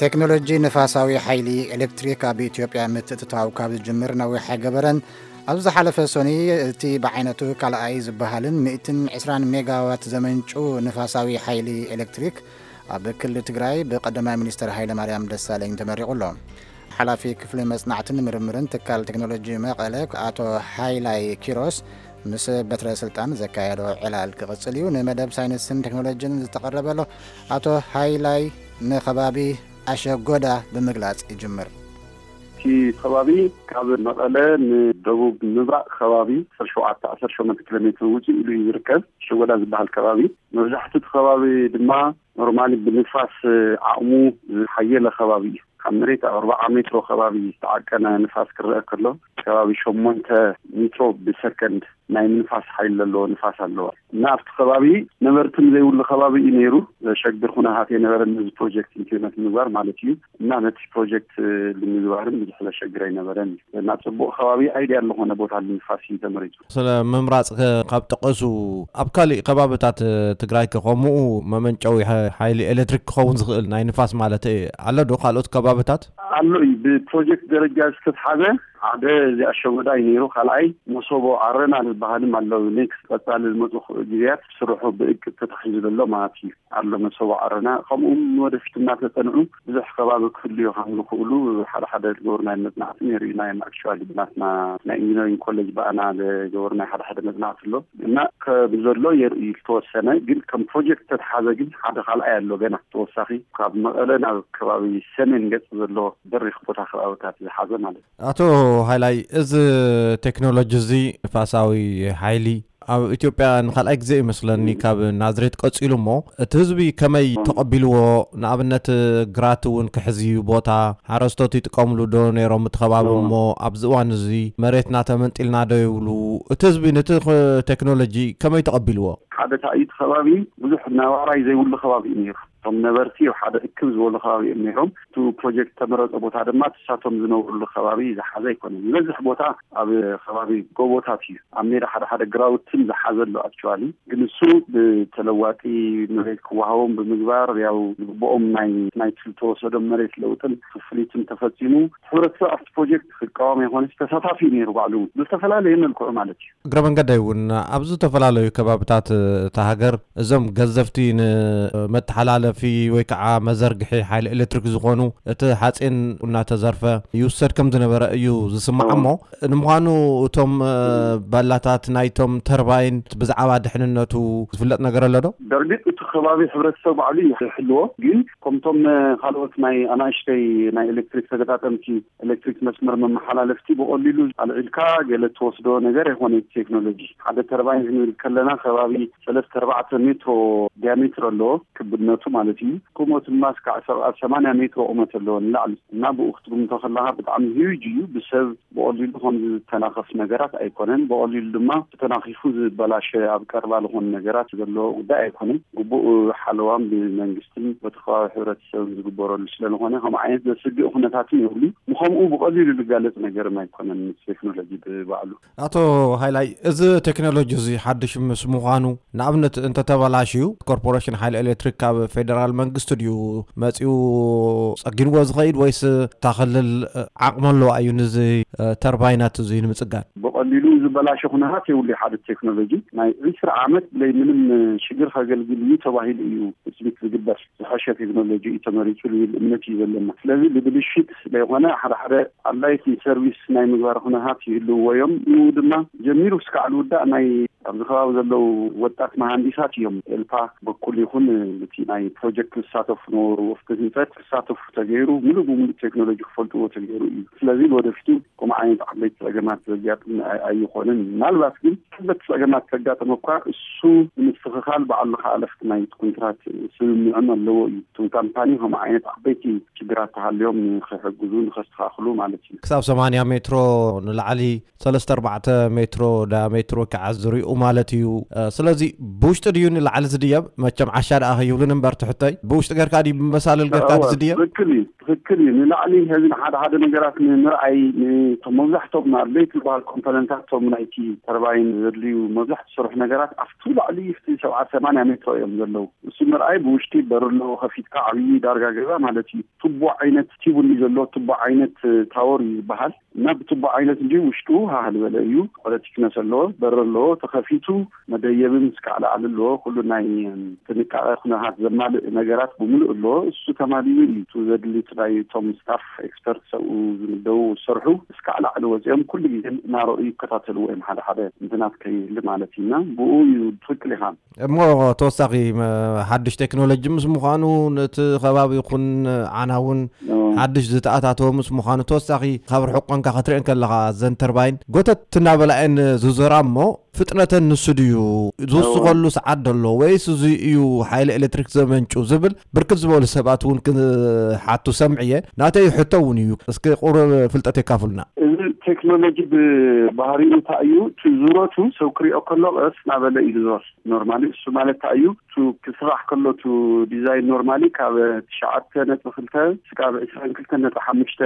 ቴክኖሎጂ ንፋሳዊ ሓይሊ ኤሌክትሪክ ኣብ ኢትዮጵያ ምትእትታው ካብ ዝጅምር ነዊሕ ኣይገበረን። ኣብ ዝሓለፈ ሰኑይ እቲ ብዓይነቱ ካልኣይ ዝበሃልን ሚእትን ዕስራን ሜጋዋት ዘመንጩ ንፋሳዊ ሓይሊ ኤሌክትሪክ ኣብ ክልል ትግራይ ብቀዳማይ ሚኒስትር ሃይለማርያም ደሳለኝ ተመሪቑ ኣሎ። ሓላፊ ክፍሊ መጽናዕትን ምርምርን ትካል ቴክኖሎጂ መቐለ ኣቶ ሃይላይ ኪሮስ ምስ በትረ ስልጣን ዘካየዶ ዕላል ክቕጽል እዩ። ንመደብ ሳይንስን ቴክኖሎጂን ዝተቐረበ ኣሎ። ኣቶ ሃይላይ፣ ንኸባቢ ኣሸጎዳ ብምግላጽ ይጅምር። እቲ ከባቢ ካብ መቐለ ንደቡብ ምብራቕ ከባቢ ዓሰርተ ሸውዓተ ዓሰርተ ሸሞንተ ኪሎ ሜትር ውፅእ ኢሉ እዩ ዝርከብ። ሸጎዳ ዝበሃል ከባቢ፣ መብዛሕትኡ እቲ ከባቢ ድማ ኖርማሊ ብንፋስ ዓቕሙ ዝሓየለ ከባቢ እዩ። ካብ መሬት ኣርባዓ ሜትሮ ከባቢ ዝተዓቀነ ንፋስ ክረአ ከሎ፣ ከባቢ ሸሞንተ ሜትሮ ብሰከንድ ናይ ምንፋስ ሓይሊ ዘለዎ ንፋስ ኣለዎ። እና ኣብቲ ከባቢ ነበርትን ዘይብሉ ከባቢ እዩ ነይሩ። ዘሸግር ኩነታት የነበረን ነዚ ፕሮጀክት ኢምፕሊመንት ንምግባር ማለት እዩ። እና ነቲ ፕሮጀክት ንምግባርን ብዙሕ ዘሸግር ኣይነበረን። እና ጽቡቕ ከባቢ፣ ኣይዲያል ዝኾነ ቦታ ንምንፋስ እዩ ተመሪጹ። ስለ ምምራጽ ከ-፣ ካብ ጠቐሱ፣ ኣብ ካሊእ ከባብታት ትግራይ ከ ከምኡ መመንጨዊ ሓ-፣ ሓይሊ ኤሌክትሪክ ክኸውን ዝኽእል ናይ ንፋስ ማለት ኣሎ ዶ? ካልኦት ከባብታት? ኣሎ እዩ። ብፕሮጀክት ደረጃ ዝተትሓዘ ሓደ እዚኣ ሸጎዳ እዩ ነይሩ። ካልኣይ መሶቦ ዓረና ዝበሃልም ኣሎ። ኔክስት ቀጻሊ ዝመጹ ግዜያት ስርሑ ብእቅድ ተታሒዙ ዘሎ ማለት እዩ። ኣሎ መሶቦ ዓረና። ከምኡ እውን ንወደፊት እናተጸንዑ ብዙሕ ከባቢ ክህልዩ ከም ዝኽእሉ ሓደ ሓደ ዝገበርናዮ መጽናዕቲ ነይሩ እዩ። ናይ ኣክቹዋሊ ብናትና ናይ ኢንጂነሪንግ ኮሌጅ ብኣና ዝገበርናዮ ሓደ ሓደ መጽናዕቲ ኣሎ። እና ከም ዘሎ የርኢ ዝተወሰነ፣ ግን ከም ፕሮጀክት ተተሓዘ ግን ሓደ ካልኣይ ኣሎ ገና ተወሳኺ ካብ መቐለ ናብ ከባቢ ሰሜን ገጽ ዘሎ በሪኽ ቦታ ከባብታት ዝሓዘ ማለት እዩ። ኣቶ ሃይላይ፣ እዚ ቴክኖሎጂ እዚ ንፋሳዊ ሓይሊ ኣብ ኢትዮጵያ ንኻልኣይ ግዜ ይመስለኒ ካብ ናዝሬት ቀጺሉ እሞ፣ እቲ ህዝቢ ከመይ ተቐቢልዎ? ንኣብነት ግራት እውን ክሕዝ እዩ ቦታ፣ ሓረስቶት ይጥቀምሉ ዶ ነይሮም እቲ ከባቢ እሞ ኣብዚ እዋን እዚ መሬትና ተመንጢልና ዶ ይብሉ? እቲ ህዝቢ ነቲ ክ-፣ ቴክኖሎጂ ከመይ ተቐቢልዎ? ሓደ እቲ ከባቢ ብዙሕ ነባራይ ዘይብሉ ከባቢ እዩ ነይሩ። እቶም ነበርቲ ኣብ ሓደ እክብ ዝበሉ ከባቢ እዮም ነይሮም። እቲ ፕሮጀክት ተመረጸ ቦታ ድማ እሳቶም ዝነብሩሉ ከባቢ ዝሓዘ ኣይኮነን። ዝበዝሕ ቦታ ኣብ ከባቢ ጎቦታት እዩ። ኣብ ሜዳ ሓደ ሓደ ግራውትን ዝሓዘ ኣሎ ኣክቹዋሊ። ግን እሱ ብተለዋጢ መሬት ክወሃቦም ብምግባር፣ ያው ዝግብኦም ናይ፣ ናይ ዝተወሰዶም መሬት ለውጥን ክፍሊትን ተፈጺሙ፣ ሕብረተሰብ ኣብቲ ፕሮጀክት ክቃወም ኣይኮነስ ተሳታፊ እዩ ነይሩ ባዕሉ እውን ብዝተፈላለየ መልክዑ ማለት እዩ። እግረ መንገደይ እውን ኣብ ዝተፈላለዩ ከባብታት እታ ሃገር እዞም ገዘፍቲ ንመተሓላለፊ ወይ ከዓ መዘርግሒ ሓይሊ ኤሌክትሪክ ዝኾኑ እቲ ሓፂን እናተዘርፈ ይውሰድ ከም ዝነበረ እዩ ዝስማዕ። እሞ ንምዃኑ እቶም፣ እ፣ ባላታት ናይቶም ተርባይን ብዛዕባ ድሕንነቱ ዝፍለጥ ነገር ኣሎ ዶ? በእርግጥ እቲ ከባቢ ሕብረተሰብ ባዕሉ እዩ ዝሕልዎ፣ ግን ከምቶም፣ እ፣ ካልኦት ናይ ኣናእሽተይ ናይ ኤሌክትሪክ ተገጣጠምቲ ኤሌክትሪክ መስመር መመሓላለፍቲ ብቐሊሉ ኣልዒልካ ገለ ትወስዶ ነገር ኣይኮነ። ቴክኖሎጂ ሓደ ተርባይን ክንብል ከለና ከባቢ ሰለስተ ኣርባዕተ ሜትሮ ዲያሜትር ኣለዎ፣ ክብነቱ ማለት እዩ። ቁመቱ ድማ እስካዕ ሰብዓ ሰማንያ ሜትሮ ቁመት ኣለዎ ንላዕሊ። እና ብኡ ክትግምቶ ከለኻ ብጣዕሚ ሂዩጅ እዩ። ብሰብ ብቐሊሉ ከም ዝተናኸፍ ነገራት ኣይኮነን። ብቐሊሉ ድማ ተተናኺፉ ዝበላሸ ኣብ ቀረባ ዝኾኑ ነገራት ዘለዎ ጉዳይ ኣይኮነን። ግቡእ ሓለዋን ብመንግስትን በቲ ከባቢ ሕብረተሰብን ዝግበረሉ ስለ ዝኾነ ከምኡ ዓይነት ዘስግእ ኩነታትን የብሉ። ምኸምኡ ብቐሊሉ ዝጋለጽ ነገርም ኣይኮነን ምስ ቴክኖሎጂ ብባዕሉ። ኣቶ ሃይላይ፣ እዚ ቴክኖሎጂ እዚ ሓድሽ ምስ ምዃኑ፣ ንኣብነት እንተተበላሽዩ፣ ኮርፖሬሽን ሓይሊ ኤሌክትሪክ ካብ ፌደራል መንግስቲ ድዩ መጺኡ ጸጊንዎ ዝኸይድ፣ ወይስ እታ ክልል ዓቕሚ ኣለዋ እዩ ነዚ፣ እ፣ ተርባይናት እዚ ንምጽጋን? ብቐሊሉ ዝበላሸ ኩነታት የብሉ። ሓደ ቴክኖሎጂ ናይ ዕስራ ዓመት ብለይ ምንም ሽግር ከገልግል እዩ ተባሂሉ እዩ ትጽቢት ዝግበር። ዝሐሸ ቴክኖሎጂ እዩ ተመሪጹ ዝብል እምነት እዩ ዘለና። ስለዚ ብብልሽት ዘይኮነ ሓደ ሓደ ኣድላይቲ ሰርቪስ ናይ ምግባር ኩነታት ይህልውዎ እዮም። ንኡ ድማ ጀሚሩ እስካዕ ዝውዳእ ናይ ኣብዚ ከባቢ ዘለዉ ወጣት መሃንዲሳት እዮም። ኤልፓ በኩል ይኹን እቲ ናይ ፕሮጀክት ዝሳተፉ ነበሩ፣ ወፍቲ ህንፀት ክሳተፉ ተገይሩ፣ ሙሉእ ብሙሉእ ቴክኖሎጂ ክፈልጥዎ ተገይሩ እዩ። ስለዚ ንወደፊቱ ከምኡ ዓይነት ዓበይቲ ጸገማት ዘጋጥም ኣይ-፣ ኣይኾንን። ምናልባት ግን ከበድቲ ጸገማት ከጋጥም እኳ እሱ ንምስትኽኻል ባዕሉ ከኣ ለፍቲ ናይ ኮንትራት ስምምዕም ኣለዎ እዩ። እቶም ካምፓኒ ከምኡ ዓይነት ዓበይቲ ሽግራት ተሃልዮም ንኽሕግዙ፣ ንኸስተኻኽሉ ማለት እዩ። ክሳብ ሰማንያ ሜትሮ ንላዕሊ ሰለስተ ኣርባዕተ ሜትሮ ዳያሜትሮ ከዓ ዝሪኡ ማለት እዩ። እ፣ ስለዚ ብውሽጢ ድዩ ንላዕሊ ዝድየብ? መቸም ዓሻ ደኣ ከይብሉን እምበር ትሕተይ፣ ብውሽጢ ጌርካ ድዩ ብመሳልል ጌርካ እወ፣ ዝድየብ? ትኽክል እዩ። ትክክል እዩ። ንላዕሊ ሕዚ ንሓደ ሓደ ነገራት ንምርኣይ፣ ንቶም መብዛሕቶም ኣድለይቲ ዝበሃል ኮምፖነንታት፣ ቶም ናይቲ ተርባይን ዘድልዩ መብዛሕትኡ ዝሰርሑ ነገራት ኣብቲ ላዕሊ፣ ኣብቲ ሰብዓ ሰማንያ ሜትሮ እዮም ዘለዉ። እሱ ምርኣይ ብውሽጢ በር ኣለዎ፣ ከፊትካ ዓብዪ ዳርጋ ገዛ ማለት እዩ። ቱቦ ዓይነት ቲቡን እዩ ዘለዎ፣ ቱቦ ዓይነት ታወር እዩ ዝበሃል። እና ብቱቦ ዓይነት እንጂ ውሽጡ ሃህ ዝበለ እዩ። ኳለቲ ክነስ ኣለዎ፣ በር ኣለዎ፣ ተኸፊቱ መደየብን እስካዕ ላዕሊ ኣለዎ። ኩሉ ናይ ጥንቃቐ ኩነታት ዘማልእ ነገራት ብምሉእ ኣለዎ። እሱ ተማሊኡ እዩ። እቱ ዘድሊ ናይ እቶም ስታፍ ኤክስፐርት ሰብኡ ዝምደቡ ዝሰርሑ እስካዕ ላዕሊ ወፂኦም ኩሉ ግዜ እናረኡ ይከታተልዎ እዮም። ሓደ ሓደ እንትናት ከይህሊ ማለት እዩ። እና ብኡ እዩ ትኽክል ኢኻ። እሞ ተወሳኺ መ-፣ ሓድሽ ቴክኖሎጂ ምስ ምዃኑ፣ ነቲ ከባቢ ይኹን ዓና እውን ኦ። ሓድሽ ዝተኣታተወ ምስ ምዃኑ፣ ተወሳኺ ካብ ርሑቕ ቋንካ ክትርእን ከለኻ፣ እዘን ተርባይን ጎተት እናበላ እየን ዝዞራ እሞ፣ ፍጥነተን ንሱ ድዩ ዝውስኸሉ ሰዓት ደሎ፣ ወይስ እዚ እዩ ሓይሊ ኤሌክትሪክ ዘመንጩ ዝብል ብርክት ዝበሉ ሰባት እውን ክሓቱ ሰምዕየ። ናተይ ሕቶ እውን እዩ። እስኪ ቁሩብ ፍልጠት የካፍሉና። እዚ ቴክኖሎጂ ብባህሪኡ እንታይ እዩ? እቲ ዙረቱ ሰብ ክሪኦ ከሎ ቀስ እናበለ እዩ ዝዞር። ኖርማሊ እሱ ማለት እንታይ እዩ? እቱ ክስራሕ ከሎ እቱ ዲዛይን ኖርማሊ ካብ ትሽዓተ ነጥቢ ክልተ እስካብ ዕስራን ክልተን ነጥቢ ሓሙሽተ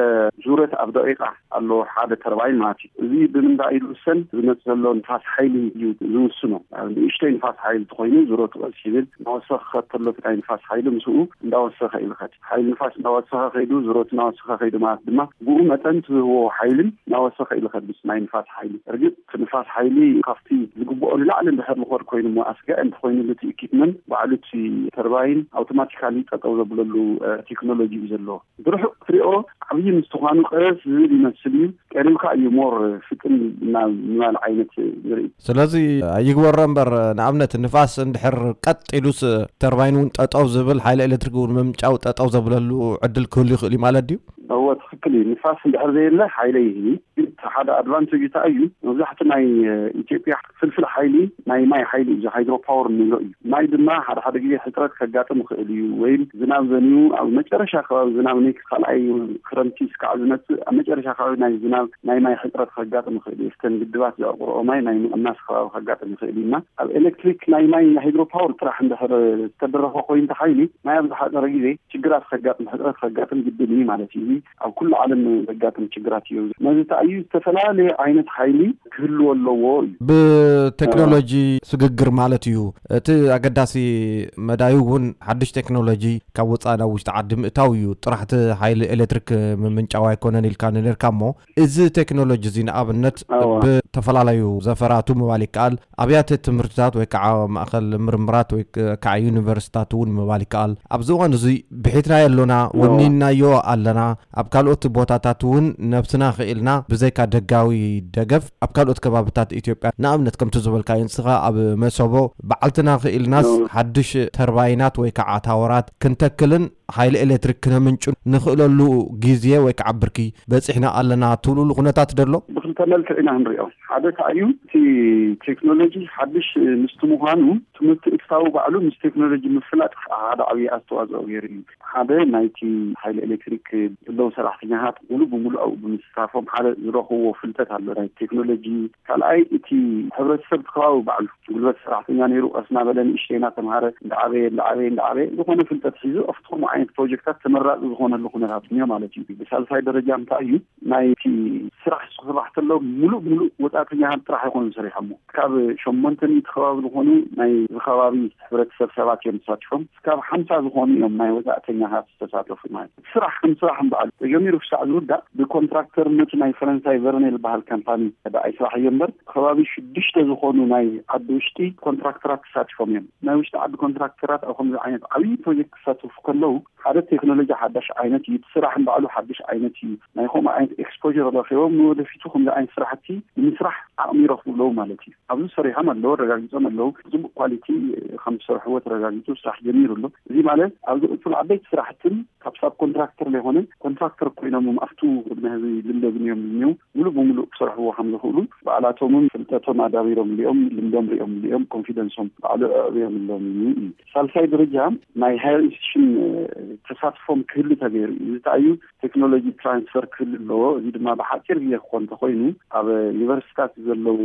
ዙረት ኣብ ደቂቃ ኣሎ ሓደ ተርባይን ማለት እዩ። እዚ ብምንታይ እዩ ዝውሰን? ዝመጽእ ዘሎ ንፋስ ሓይሊ እዩ ዝውስኖ። ኣብ ንእሽተይ ንፋስ ሓይሊ ተኾይኑ ዙረቱ ቀስ ይብል፣ እናወሰኸ ከሎ እቲ ናይ ንፋስ ሓይሊ ምስኡ እንዳወሰኸ እዩ ዝኸድ። ሓይሊ ንፋስ እንዳወሰኸ ከይዱ፣ ዙረቱ እናወሰኸ ከይዱ ማለት ድማ ብኡ መጠን እቲ ዝህቦ ሓይልን እናወሰኸ እዩ ዝኸድ ምስ ናይ ንፋስ ሓይሊ። እርግጥ እቲ ንፋስ ሓይሊ ካብቲ ዝግብኦ ንላዕሊ እንድሕር ዝኸድ ኮይኑ እሞ ኣስጋኢ እንተኾይኑ እቲ ኢኪፕመንት ባዕሉ እቲ ተርባይን ኣውቶማቲካሊ ጠጠው ዘብለሉ፣ እ፣ ቴክኖሎጂ እዩ ዘለዎ። ብርሑቕ ክትሪኦ ዓብዪ ምስትዃኑ ቀስ ዝብል ይመስል እዩ። ቀሪብካ እዩ ሞር ፍጥን ናብ ምባል ዓይነት ዝርኢ። ስለዚ ይግበሮ እምበር፣ ንኣብነት ንፋስ እንድሕር ቀጥ ኢሉስ ተርባይን እውን ጠጠው ዝብል፣ ሓይሊ ኤሌክትሪክ እውን ምምንጫው ጠጠው ዘብለሉ ዕድል ክህሉ ይኽእል እዩ ማለት ድዩ? እወ፣ ትኽክል እዩ። ንፋስ እንድሕር ዘየለ ሓይሊ ይህብ። ግን እቲ ሓደ ኣድቫንቴጅ እንታይ እዩ? መብዛሕትኡ ናይ፣ እ፣ ኢትዮጵያ ፍልፍል ሓይሊ ናይ ማይ ሓይሊ እዩ፣ እዚ ሃይድሮ ፓወር እንብሎ እዩ። ማይ ድማ ሓደ ሓደ ግዜ ሕፅረት ከጋጥም ይኽእል እዩ፣ ወይም ዝናብ ዘንዩ ኣብ መጨረሻ ከባቢ ዝናብ ናይ ካልኣይ ክረምቲ እስካዕ ዝመፅእ ኣብ መጨረሻ ከባቢ ናይ ዝናብ ናይ ማይ ሕፅረት ከጋጥም ይኽእል እዩ። እተን ግድባት ዘዕቁርኦ ማይ ናይ ምቕናስ ከባቢ ከጋጥም ይኽእል እዩ እና ኣብ ኤሌክትሪክ ናይ ማይ ሃይድሮ ፓወር ጥራሕ እንድሕር ዝተደረኸ ኮይኑ እቲ ሓይሊ ማይ ኣብ ዝሓፀረ ግዜ ችግራት ከጋጥም፣ ሕፅረት ከጋጥም ግድን እዩ ማለት እዩ። እዚ ኣብ ኩሉ ዓለም ዘጋጥም ችግራት እዩ። ነዚ ተኣዩ ዝተፈላለየ ዓይነት ሓይሊ ክህልዎ ኣለዎ እዩ። ብቴክኖሎጂ ስግግር ማለት እዩ። እቲ ኣገዳሲ መዳዩ እውን ሓድሽ ቴክኖሎጂ ካብ ወፃኢ ናብ ውሽጢ ዓዲ ምእታው እዩ። ጥራሕ እቲ ሓይሊ ኤሌክትሪክ ምምንጫው ኣይኮነን ኢልካ ነርካ እሞ፣ እዚ ቴክኖሎጂ እዚ ንኣብነት እዋ። ብተፈላለዩ ዘፈራቱ ምባል ይከኣል፣ ኣብያተ ትምህርትታት ወይ ከዓ ማእኸል ምርምራት ወይ ከዓ ዩኒቨርሲታት እውን ምባል ይከኣል። ኣብዚ እዋን እዚ ብሒትናዮ ኣሎና፣ እዋ። ወኒንናዮ ኣለና። ኣብ ካልኦት ቦታታት እውን ነብስና ክኢልና ብዘይካ ደጋዊ ደገፍ ኣብ ካልኦት ከባብታት ኢትዮጵያ ንኣብነት ከምቲ ዝበልካዮ ንስኻ ኣብ መሰቦ በዓልትና ክኢልናስ እዋ። ሓድሽ ተርባይናት ወይ ከዓ ታወራት ክንተክልን ሓይሊ ኤሌክትሪክ ክነምንጩ ንኽእለሉ ግዜ ወይ ከዓ ብርኪ በፂሕና ኣለና ትብልሉ ኩነታት ደሎ? ብክልተ መልክዕ ኢና ንሪኦ። ሓደ ከኣ እዩ እቲ ቴክኖሎጂ ሓድሽ ምስቲ ምዃኑ እቲ ምትእትታው ባዕሉ ምስ ቴክኖሎጂ ምፍላጥ ሓደ ዓብዪ ኣስተዋፅኦ ገይሩ እዩ። ሓደ ናይቲ ሓይሊ ኤሌክትሪክ ዘለዉ ሰራሕተኛታት ሙሉእ ብሙሉእ ኣብኡ ብምስታፎም ሓደ ዝረኽብዎ ፍልጠት ኣሎ ናይ ቴክኖሎጂ። ካልኣይ እቲ ሕብረተሰብ እቲ ከባቢ ባዕሉ ጉልበት ሰራሕተኛ ነይሩ ቀስ እናበለ ንእሽተይ እናተምሃረ እንዳዓበየ እንዳዓበየ እንዳዓበየ ዝኾነ ፍልጠት ሒዙ ኣብቲ ከምኡ ዓይነት ፕሮጀክታት ተመራፂ ዝኾነሉ ኩነታት እኒኦ ማለት እዩ። ብሳልሳይ ደረጃ እንታይ እዩ ናይቲ ስራሕ ክስራሕ ከሎ ሙሉእ ሙሉእ ወፃእተኛታት ጥራሕ ኣይኮኑን ሰሪሖሞ። ካብ ሸሞንተ ሚእቲ ከባቢ ዝኾኑ ናይ እዚ ከባቢ ሕብረተሰብ ሰባት እዮም ተሳቲፎም። እስካብ ሓምሳ ዝኾኑ እዮም ናይ ወፃእተኛታት ዝተሳተፉ ማለት እዩ። ስራሕ ከም ስራሕ እምበኣል ተጀሚሩ ክሳዕ ዝውዳእ ብኮንትራክተርነቱ ናይ ፈረንሳይ ቨርኔል ዝበሃል ካምፓኒ ደኣ ይስራሕ እዩ እምበር ከባቢ ሽዱሽተ ዝኾኑ ናይ ዓዲ ውሽጢ ኮንትራክተራት ተሳቲፎም እዮም። ናይ ውሽጢ ዓዲ ኮንትራክተራት ኣብ ከምዚ ዓይነት ዓብዪ ፕሮጀክት ክሳተፉ ከለዉ ሓደ ቴክኖሎጂ ሓዳሽ ዓይነት እዩ። እቲ ስራሕ ንባዕሉ ሓድሽ ዓይነት እዩ። ናይ ከምኡ ዓይነት ኤክስፖር ረኺቦም ንወደፊቱ ከምዚ ዓይነት ስራሕቲ ንምስራሕ ዓቕሚ ይረኽቡ ኣለዉ ማለት እዩ። ኣብዚ ሰሪሖም ኣለዉ፣ ኣረጋጊጾም ኣለዉ። ብፅቡቕ ኳሊቲ ከም ዝሰርሕዎ ተረጋጊጹ ስራሕ ጀሚሩ ኣሎ። እዚ ማለት ኣብ ዝቕፅሉ ዓበይቲ ስራሕትን ካብ ሳብ ኮንትራክተር ዘይኮነ ኮንትራክተር ኮይኖም ኣብቱ ቅድሚ ህዝቢ ልምደግን እዮም ዝኒው ሙሉእ ብሙሉእ ክሰርሕዎ ከም ዝኽእሉ ባዕላቶምን ፍልጠቶም ኣዳቢሮም ሊኦም ልምዶም ሪኦም ሊኦም ኮንፊደንሶም ባዕሉ ኣዕብዮምሎም እዩ። ሳልሳይ ደረጃ ናይ ሃየር ኢንስቲቱሽን ተሳትፎም ክህሉ ተገይሩ እዩ። እዚ እንታይ እዩ? ቴክኖሎጂ ትራንስፈር ክህሉ ኣለዎ። እዚ ድማ ብሓፂር ግዜ ክኾን እንተኾይኑ ኣብ ዩኒቨርሲታት ዘለዉ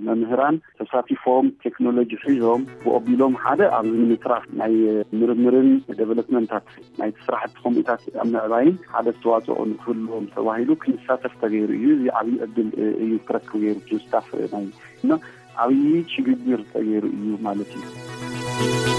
መምህራን ተሳቲፎም ቴክኖሎጂ ሒዞም ብኦቢሎም ሓደ ኣብዚ ንምትራፍ ናይ ምርምርን ዴቨሎፕመንታት ናይቲ ስራሕ ሓቲ ከምኡታት ኣብ ምዕባይን ሓደ ኣስተዋፅኦ ንክህልዎም ተባሂሉ ክንሳተፍ ተገይሩ እዩ። እዚ ዓብዪ ዕድል እዩ ክረክብ ገይሩ እቲ ስታፍ ናይ እና ዓብዪ ሽግግር ተገይሩ እዩ ማለት እዩ።